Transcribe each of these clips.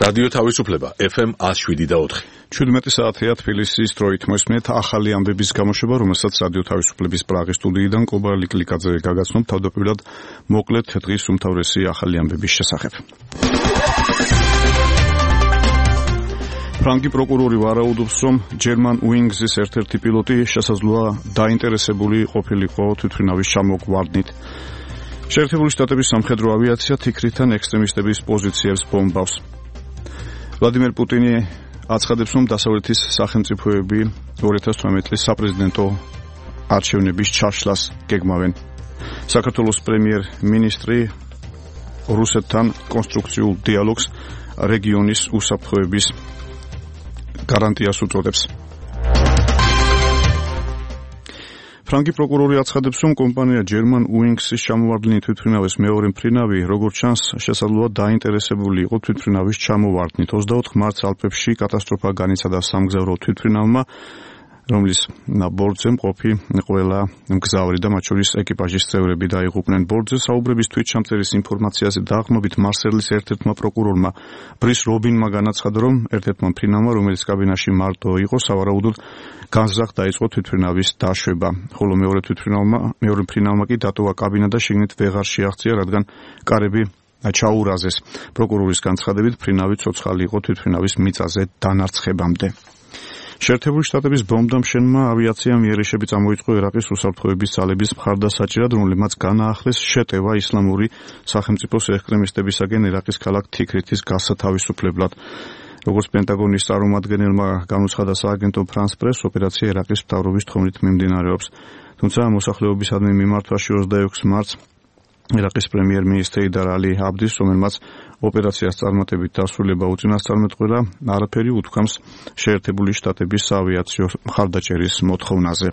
რადიო თავისუფლება FM 107.4. 17 საათია თბილისის დროით მოსმენთ ახალი ამბების გამოშვება, რომელსაც რადიო თავისუფლების პრაღის სტუდიიდან კობა ლიკლიკაძე გაგაცნობ თავდაპირველად მოკლედ დღის უმთავრესი ახალი ამბების შესახებ. ფრანგი პროკურორი ვარაუდობს, რომ German Wings-ის ერთ-ერთი პილოტი შესაძლოა დაინტერესებული ყოფილიყო თვითმფრინავის ჩამოგვარდნით. შეერთებული შტატების სამხედრო ავიაცია თიქრიდან ექსტრემისტების პოზიციებს ბომბავს. ვლადიმერ პუტინი აცხადებს, რომ დასავლეთის სახელმწიფოები 2018 წლის საპრეზიდენტო არჩევნების ჩაშლას გეგმავენ. საქართველოს პრემიერ-მინისტრი რუსეთთან კონსტრუქციულ დიალოგს რეგიონის უსაფრთხოების გარანტიას უწოდებს. ფრანგი პროკურორი აცხადებს, რომ კომპანია German Wings-ის ჩამოვარდნილი თვითმფრინავის მეორე მფრინავი, როგორც ჩანს, შესაძლოა დაინტერესებული იყო თვითმფრინავის ჩამოვარდნით. 24 მარტს ალპებში კატასტროფა განიცადა სამგზავრო თვითმფრინავმა, რომლის ბორტზე მყოფი ყველა მგზავრი და მათ შორის ეკიპაჟის წევრები დაიღუპნენ. ბორტზე საუბრების თვითჩამწერის ინფორმაციაზე დააღმობით მარსელის ერთ-ერთმა პროკურორმა ბრის რობინმა განაცხადა, რომ ერთ-ერთმა მფრინავმა, რომელიც კაბინაში მარტო იყო, სავარაუდოდ განზრახ დაიწყო თვითმფრინავის დაშვება, ხოლო მეორე მფრინავმა კი დატოვა კაბინა და შიგნით ვეღარ შეაღწია, რადგან კარები ჩაურაზეს. პროკურორის განცხადებით, მფრინავი ცოცხალი იყო თვითმფრინავის მიწაზე დანარცხებამდე. შეერთებული შტატების ბომბდამშენმა ავიაციამ იერიშები წამოიწყო ერაყის უსაფრთხოების ძალების მხარდასაჭერად, რომლებმაც განაახლეს შეტევა ისლამური სახელმწიფოს ექსტრემისტებისაგენ ერაყის ქალაქ თიქრითის გასათავისუფლებლად. როგორც პენტაგონის წარმომადგენელმა განუცხადა სააგენტო France Press, ოპერაცია ერაყის მთავრობის თხოვნით მიმდინარეობს. თუმცა მოსახლეობისადმი მიმართვაში 26 მარტს ერაყის პრემიერ-მინისტრი იდარ ალი აბდის, რომელმაც ოპერაციას წარმატებით დასრულება უწინასწარმეტყველა, არაფერი უთქვამს შეერთებული შტატების საავიაციო მხარდაჭერის მოთხოვნაზე.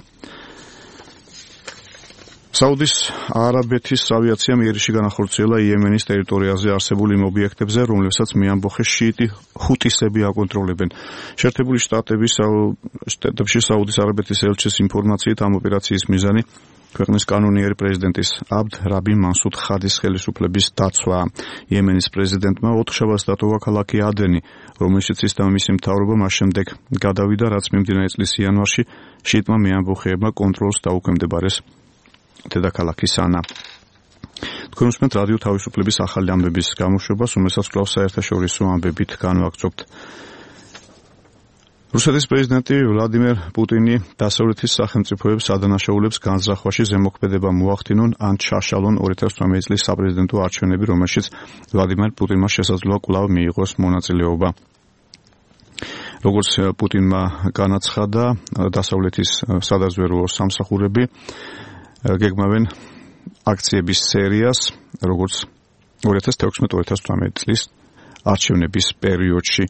საუდის არაბეთის ავიაციამ იერიში განახორციელა იემენის ტერიტორიაზე არსებულ იმ ობიექტებზე, რომლებსაც მეამბოხე შიიტი ჰუტისები აკონტროლებენ. შეერთებული შტატებში საუდის არაბეთის ელჩის ინფორმაციით ამ ოპერაციის მიზანი ქვეყნის კანონიერი პრეზიდენტის აბდ რაბი მანსუდ ხადის ხელისუფლების დაცვა. იემენის პრეზიდენტმა ოთხშაბათს დატოვა ქალაქი ადენი, რომელშიც ის და მისი მთავრობა მას შემდეგ გადავიდა, რაც მიმდინარე წლის იანვარში შიიტმა მეამბოხეებმა კონტროლს დაუქვემდებარეს დედაქალაქი სანა. თქვენ უსმენთ რადიო თავისუფლების ახალი ამბების გამოშვებას, რომელსაც კვლავ საერთაშორისო ამბებით განვაგრძობთ. რუსეთის პრეზიდენტი ვლადიმერ პუტინი დასავლეთის სახელმწიფოებს ადანაშაულებს განზრახვაში ზემოქმედება მოახდინონ ან ჩაშალონ 2018 წლის საპრეზიდენტო არჩევნები, რომელშიც ვლადიმერ პუტინმა შესაძლოა კვლავ მიიღოს მონაწილეობა. როგორც პუტინმა განაცხადა, დასავლეთის სადაზვერვო სამსახურები გეგმავენ აქციების სერიას, როგორც 2016-2018 წლის არჩევნების პერიოდში.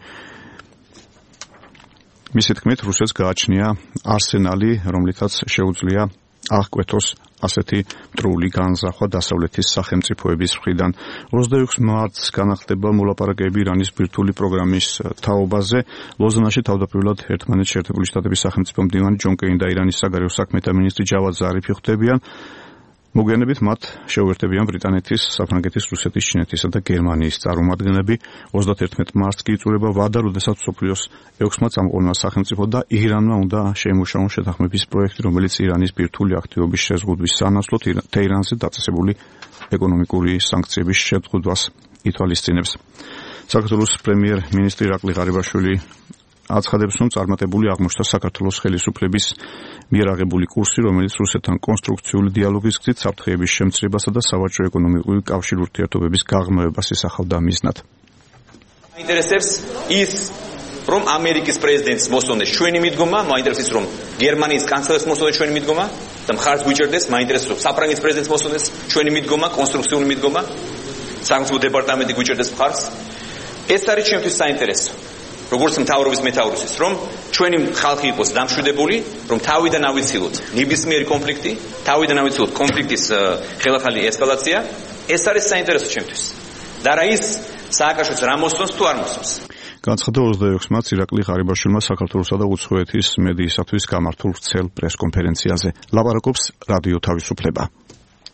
მისი თქმით, რუსეთს გააჩნია არსენალი, რომლითაც შეუძლია აღკვეთოს ასეთი მტრული განზრახვა დასავლეთის სახელმწიფოების მხრიდან. 26 მარტს განახდება მოლაპარაკებები ირანის ბირთვული პროგრამის თაობაზე. ლოზანაში თავდაპირველად ერთმანეთს შეერთებული შტატების სახელმწიფო მდივანი ჯონ კეინი და ირანის საგარეო საქმეთა მინისტრი ჯავად ზარიფი ხვდებიან. მოგვიანებით მათ შეუერთებიან ბრიტანეთის, საფრანგეთის, რუსეთის, ჩინეთისა და გერმანიის წარმომადგენლები. 31 მარტს კი იწურება ვადა, როდესაც მსოფლიოს 6-მა წამყვანმა სახელმწიფო და ირანმა უნდა შეემუშაონ შეთანხმების პროექტი, რომელიც ირანის ბირთვული აქტივობის შეზღუდვის სანაცვლოდ თეირანზე დაწესებული ეკონომიკური სანქციების შეზღუდვას ითვალისწინებს. საქართველოს პრემიერ-მინისტრი ირაკლი ღარიბაშვილი აცხადებს, რომ წარმატებული აღმოჩნდა საქართველოს ხელისუფლების მიერ აღებული კურსი, რომელიც რუსეთთან კონსტრუქციული დიალოგის გზით საფრთხეების შემცირებასა და სავაჭრო-ეკონომიკური კავშირ ურთიერთობების გაღრმავებას ისახავდა მიზნად. მაინტერესებს ის, რომ ამერიკის პრეზიდენტს მოსწონდეს ჩვენი მიდგომა, მაინტერესებს რომ გერმანიის კანცლერს მოსწონდეს ჩვენი მიდგომა და მხარს გვიჭერდეს, მაინტერესებს რომ საფრანგეთის პრეზიდენტს მოსწონდეს ჩვენი მიდგომა, კონსტრუქციული მიდგომა, სახელმწიფო დეპარტამენტი გვიჭერდეს მხარს. ეს არის ჩემთვის საინტერესო. როგორც მთავრობის მეთაურისთვის, რომ ჩვენი ხალხი იყოს დამშვიდებული, რომ თავიდან ავიცილოთ ნებისმიერი კონფლიქტი, თავიდან ავიცილოთ კონფლიქტის ხელახალი ესკალაცია, ეს არის საინტერესო ჩემთვის. და რა ის სააკაშოც რა მოსწონს თუ არ მოსწონს. განცხადა 26 მარტს ირაკლი ღარიბაშვილმა საქართველოსა და უცხოეთის მედიისათვის გამართულ ვრცელ პრესკონფერენციაზე. ლაპარაკობს რადიო თავისუფლება.